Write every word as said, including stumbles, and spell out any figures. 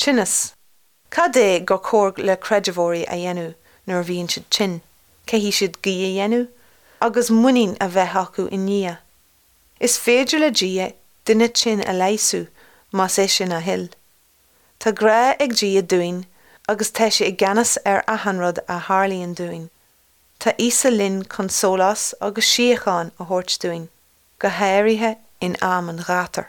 Tinneas. Cad é gur chóir le creidmheoirí a dhéanamh nuair a bhíonn siad tinn, Caithfidh siad guí a dhéanamh, agus muinín a bheith acu i nDia. Is féidir le Dia duine tinn a leigheasú más é sin a thoil. Tá grá ag Dia dúinn agus tá sé i gceannas ar achan rud a tharlaíonn dúinn. Tá Íosa linn chun sólás agus síocháin a thabhairt dúinn, go háirithe in am an ghátair.